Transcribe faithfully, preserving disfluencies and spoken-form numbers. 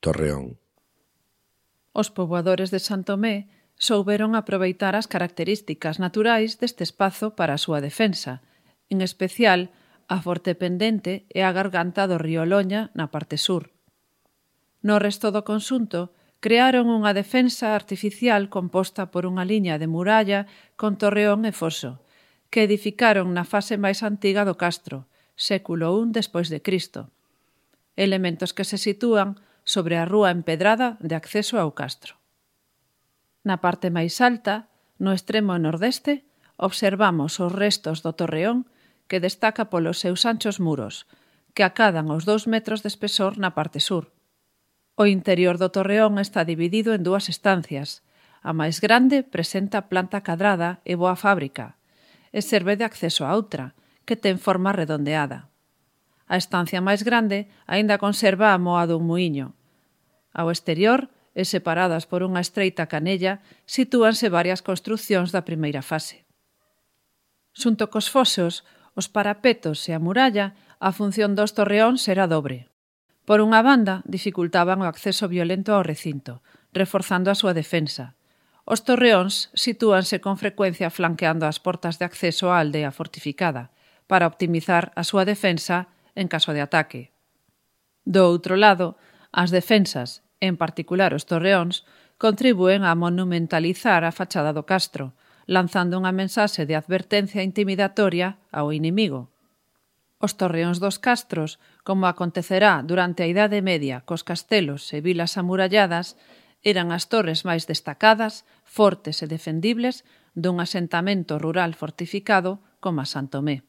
Torreón. Os poboadores de Santomé souberon aproveitar as características naturais deste espazo para a súa defensa, en especial a forte pendente e a garganta do río Loña na parte sur. No resto do conxunto, crearon unha defensa artificial composta por unha liña de muralla con torreón e foso, que edificaron na fase máis antiga do castro, século I despois de Cristo. Elementos que se sitúan sobre a rúa empedrada de acceso ao castro. Na parte máis alta, no extremo nordeste, observamos os restos do torreón que destaca polos seus anchos muros, que acadan aos dous metros de espesor na parte sur. O interior do torreón está dividido en dúas estancias. A máis grande presenta planta cadrada e boa fábrica, e serve de acceso a outra, que ten forma redondeada. A estancia máis grande aínda conserva a moa dun muíño. Ao exterior, e separadas por unha estreita canella, sitúanse varias construcións da primeira fase. Xunto cos fosos, os parapetos e a muralla, a función dos torreóns era dobre. Por unha banda, dificultaban o acceso violento ao recinto, reforzando a súa defensa. Os torreóns sitúanse con frecuencia flanqueando as portas de acceso á aldea fortificada, para optimizar a súa defensa en caso de ataque. Do outro lado, as defensas, en particular os torreóns, contribúen a monumentalizar a fachada do castro, lanzando unha mensaxe de advertencia intimidatoria ao inimigo. Os torreóns dos castros, como acontecerá durante a Idade Media cos castelos e vilas amuralladas, eran as torres máis destacadas, fortes e defendibles dun asentamento rural fortificado como a Santomé.